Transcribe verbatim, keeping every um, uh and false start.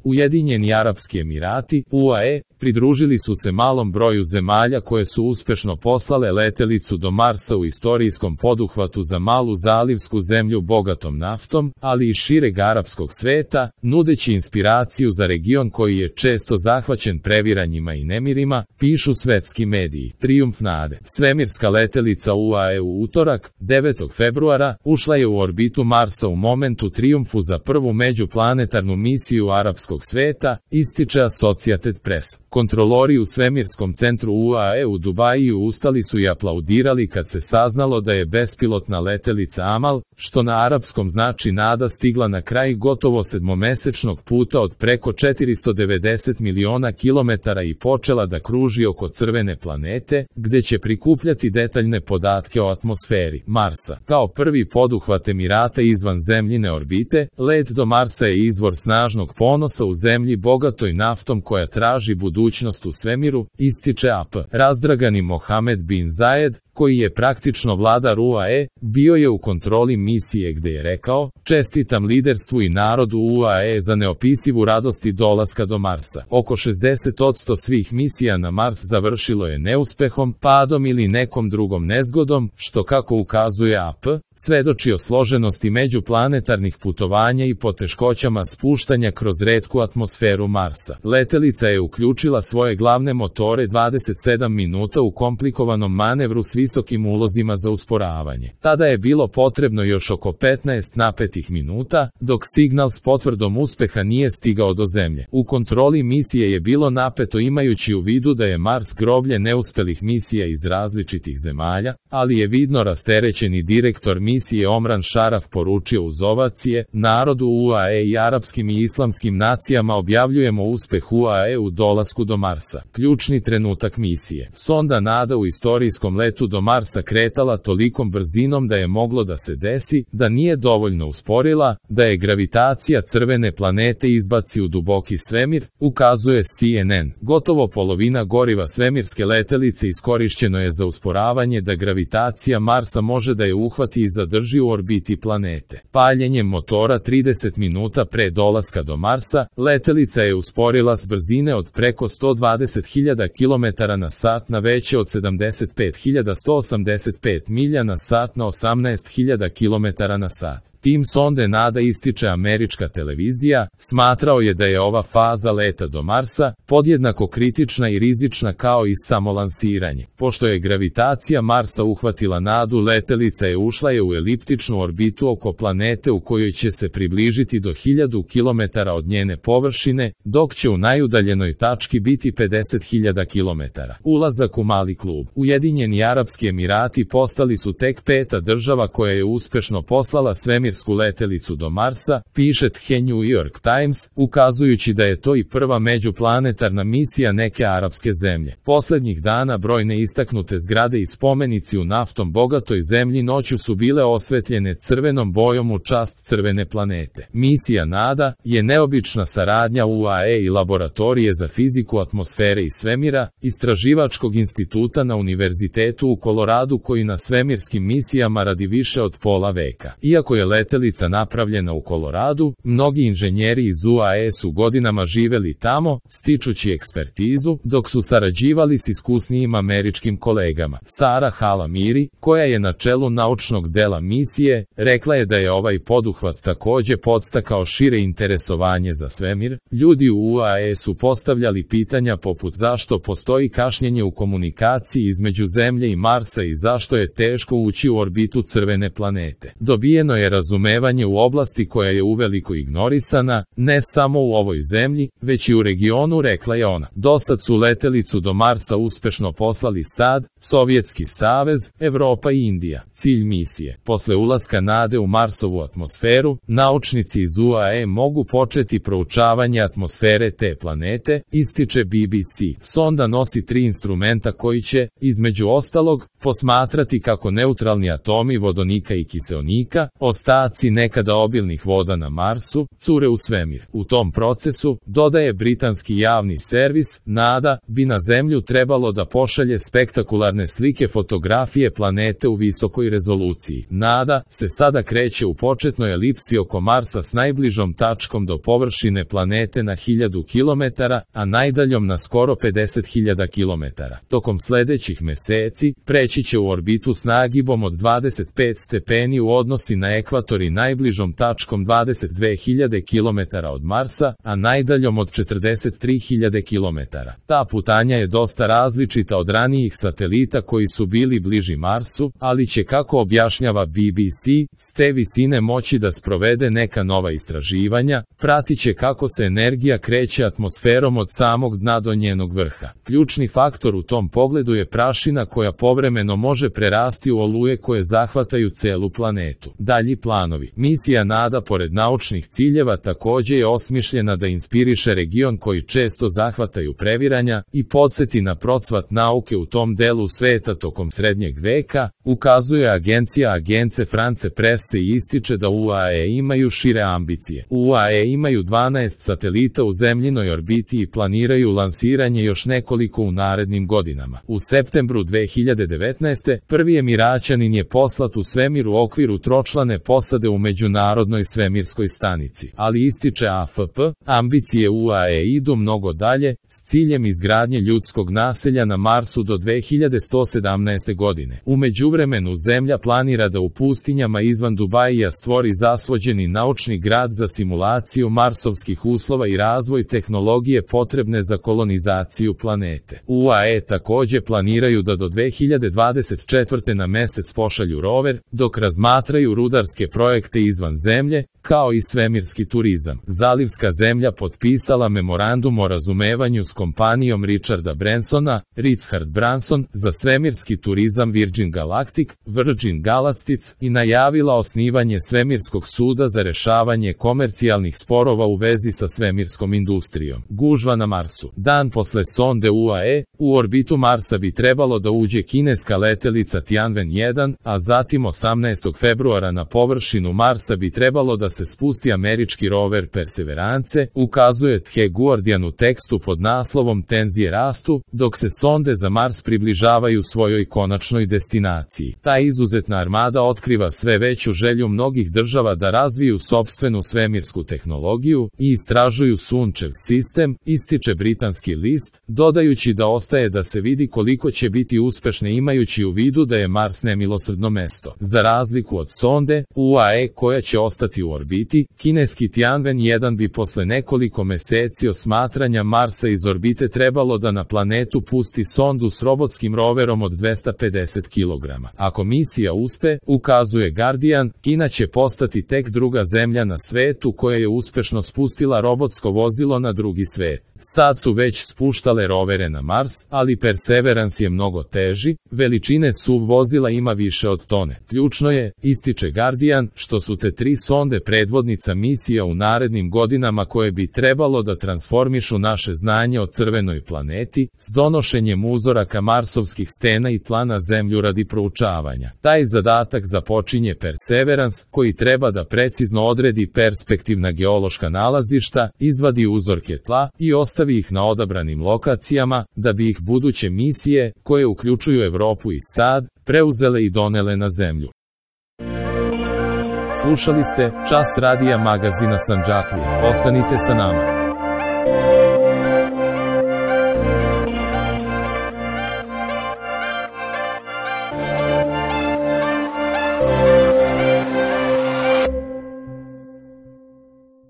Ujedinjeni Arapski Emirati, U A E, pridružili su se malom broju zemalja koje su uspešno poslale letelicu do Marsa u istorijskom poduhvatu za malu zalivsku zemlju bogatom naftom, ali i šireg arapskog sveta, nudeći inspiraciju za region koji je često zahvaćen previranjima i nemirima, pišu svetski mediji. Trijumf nade. Svemirska letelica U A E u utorak, devetog februara, ušla je u orbitu Marsa u momentu trijumfu za prvu međuplanetarnu misiju arapskog sveta, ističe Associated Press. Kontrolori u svemirskom centru U A E u Dubaju ustali su i aplaudirali kad se saznalo da je bespilotna letelica Amal, što na arapskom znači nada, stigla na kraj gotovo sedmomesečnog puta od preko četiristo devedeset miliona kilometara i počela da kruži oko crvene planete, gde će prikupljati detaljne podatke o atmosferi Marsa. Kao prvi poduhvat Emirata izvan zemljine orbite, let do Marsa je izvor snažnog ponosa u zemlji bogatoj naftom koja traži budućnost u svemiru, ističe A P. Razdragani Mohamed bin Zayed, koji je praktično vladar U A E, bio je u kontroli misije gde je rekao: "Čestitam liderstvu i narodu U A E za neopisivu radost i dolaska do Marsa." Oko šezdeset posto svih misija na Mars završilo je neuspehom, padom ili nekom drugom nezgodom, što, kako ukazuje A P, svedoči o složenosti međuplanetarnih putovanja i poteškoćama spuštanja kroz retku atmosferu Marsa. Letelica je uključila svoje glavne motore dvadeset sedam minuta u komplikovanom manevru s visokim ulozima za usporavanje. Tada je bilo potrebno još oko petnaest napetih minuta, dok signal s potvrdom uspeha nije stigao do Zemlje. U kontroli misije je bilo napeto, imajući u vidu da je Mars groblje neuspelih misija iz različitih zemalja, ali je vidno rasterećeni direktor misije Omran Sharaf poručio uz ovacije: "Narodu U A E i arapskim i islamskim nacijama objavljujemo uspeh U A E u dolasku do Marsa." Ključni trenutak misije. Sonda Nada u istorijskom letu do Marsa kretala tolikom brzinom da je moglo da se desi da nije dovoljno usporila, da je gravitacija crvene planete izbaci u duboki svemir, ukazuje C N N. Gotovo polovina goriva svemirske letelice iskorišćeno je za usporavanje da gravitacija Marsa može da je uhvati i zadrži u orbiti planete. Paljenjem motora trideset minuta pre dolaska do Marsa, letelica je usporila s brzine od preko sto dvadeset hiljada kilometara na sat na veće od sedamdeset pet hiljada sto osamdeset pet milja na sat na osamnaest hiljada kilometara na sat. Tim sonde Nada, ističe američka televizija, smatrao je da je ova faza leta do Marsa podjednako kritična i rizična kao i samo lansiranje. Pošto je gravitacija Marsa uhvatila Nadu, letelica je ušla je u eliptičnu orbitu oko planete u kojoj će se približiti do hiljadu kilometara od njene površine, dok će u najudaljenoj tački biti pedeset hiljada kilometara. Ulazak u mali klub. Ujedinjeni Arapski Emirati postali su tek peta država koja je uspešno poslala svemir letelicu do Marsa, piše The New York Times, ukazujući da je to i prva međuplanetarna misija neke arapske zemlje. Poslednjih dana brojne istaknute zgrade i spomenici u naftom bogatoj zemlji noću su bile osvetljene crvenom bojom u čast crvene planete. Misija Nada je neobična saradnja U A E i Laboratorije za fiziku atmosfere i svemira, istraživačkog instituta na Univerzitetu u Koloradu, koji na svemirskim misijama radi više od pola veka. Iako je letelica napravljena u Koloradu, mnogi inženjeri iz U A E su godinama živeli tamo, stičući ekspertizu, dok su sarađivali s iskusnijim američkim kolegama. Sara Halamiri, koja je na čelu naučnog dela misije, rekla je da je ovaj poduhvat takođe podstakao šire interesovanje za svemir. Ljudi u U A E su postavljali pitanja poput zašto postoji kašnjenje u komunikaciji između Zemlje i Marsa i zašto je teško ući u orbitu crvene planete. Dobijeno je razumevanje u oblasti koja je uveliko ignorisana, ne samo u ovoj zemlji, već i u regionu, rekla je ona. Dosad su letelicu do Marsa uspešno poslali S A D, Sovjetski savez, Evropa i Indija. Cilj misije. Posle ulaska Nade u Marsovu atmosferu, naučnici iz U A E mogu početi proučavanje atmosfere te planete, ističe B B C. Sonda nosi tri instrumenta koji će, između ostalog, posmatrati kako neutralni atomi vodonika i kiseonika, ostaju Ostaci nekada obilnih voda na Marsu cure u svemir. U tom procesu, dodaje britanski javni servis, NADA, bi na Zemlju trebalo da pošalje spektakularne slike fotografije planete u visokoj rezoluciji. NADA se sada kreće u početnoj elipsi oko Marsa s najbližom tačkom do površine planete na hiljadu kilometara, a najdaljom na skoro pedeset hiljada kilometara. Tokom sledećih meseci, preći će u orbitu s nagibom od dvadeset pet stepeni u odnosi na ekvator i najbližom tačkom dvadeset dve hiljade kilometara od Marsa, a najdaljom od četrdeset tri hiljade kilometara. Ta putanja je dosta različita od ranijih satelita koji su bili bliži Marsu, ali će, kako objašnjava B B C, s te visine moći da sprovede neka nova istraživanja, pratiće kako se energija kreće atmosferom od samog dna do njenog vrha. Ključni faktor u tom pogledu je prašina koja povremeno može prerasti u oluje koje zahvataju celu planetu. Dalji planovi. Misija NADA pored naučnih ciljeva takođe je osmišljena da inspiriše region koji često zahvataju previranja i podsjeti na procvat nauke u tom delu sveta tokom srednjeg veka, ukazuje agencija Agence France Presse i ističe da U A E imaju šire ambicije. U A E imaju dvanaest satelita u zemljinoj orbiti i planiraju lansiranje još nekoliko u narednim godinama. U septembru dve hiljade devetnaeste. prvi Emiraćanin je poslat u svemir u okviru tročlane posade u Međunarodnoj svemirskoj stanici, ali ističe A F P, ambicije U A E idu mnogo dalje, s ciljem izgradnje ljudskog naselja na Marsu do dve hiljade sto sedamnaeste. godine. U međuvremenu Zemlja planira da u pustinjama izvan Dubaija stvori zasvođeni naučni grad za simulaciju marsovskih uslova i razvoj tehnologije potrebne za kolonizaciju planete. U A E takođe planiraju da do dve hiljade dvadeset četvrte. na mesec pošalju rover, dok razmatraju rudarske projekte izvan Zemlje, kao i svemirski turizam. Zalivska zemlja potpisala memorandum o razumevanju s kompanijom Richarda Bransona, Richard Branson, za svemirski turizam Virgin Galactic, Virgin Galactic, i najavila osnivanje svemirskog suda za rešavanje komercijalnih sporova u vezi sa svemirskom industrijom. Gužva na Marsu. Dan posle sonde U A E, u orbitu Marsa bi trebalo da uđe kineska letelica Tianwen jedan, a zatim osamnaestog februara na površinu Marsa bi trebalo da se spusti američki rover Perseverance, ukazuje The Guardian u tekstu pod naslovom Tenzije rastu, dok se sonde za Mars približavaju svojoj konačnoj destinaciji. Ta izuzetna armada otkriva sve veću želju mnogih država da razviju sopstvenu svemirsku tehnologiju i istražuju Sunčev sistem, ističe britanski list, dodajući da ostaje da se vidi koliko će biti uspešne imajući u vidu da je Mars nemilosrdno mesto. Za razliku od sonde U A E koja će ostati u orbiti, kineski Tianwen jedan bi posle nekoliko meseci osmatranja Marsa iz orbite trebalo da na planetu pusti sondu s robotskim roverom od dvesta pedeset kilograma. Ako misija uspe, ukazuje Guardian, Kina će postati tek druga zemlja na svetu koja je uspešno spustila robotsko vozilo na drugi svet. Sad su već spuštale rovere na Mars, ali Perseverance je mnogo teži, veličine S U V vozila ima više od tone. Ključno je, ističe Guardian, što su te tri sonde predvodnica misija u narednim godinama koje bi trebalo da transformišu naše znanje o crvenoj planeti, s donošenjem uzoraka marsovskih stena i tla na Zemlju radi proučavanja. Taj zadatak započinje Perseverance, koji treba da precizno odredi perspektivna geološka nalazišta, izvadi uzorke tla i ostavi ih na odabranim lokacijama, da bi ih buduće misije, koje uključuju Evropu i SAD, preuzele i donele na Zemlju. Slušali ste Čas radija magazina Sandžaklija. Ostanite sa nama.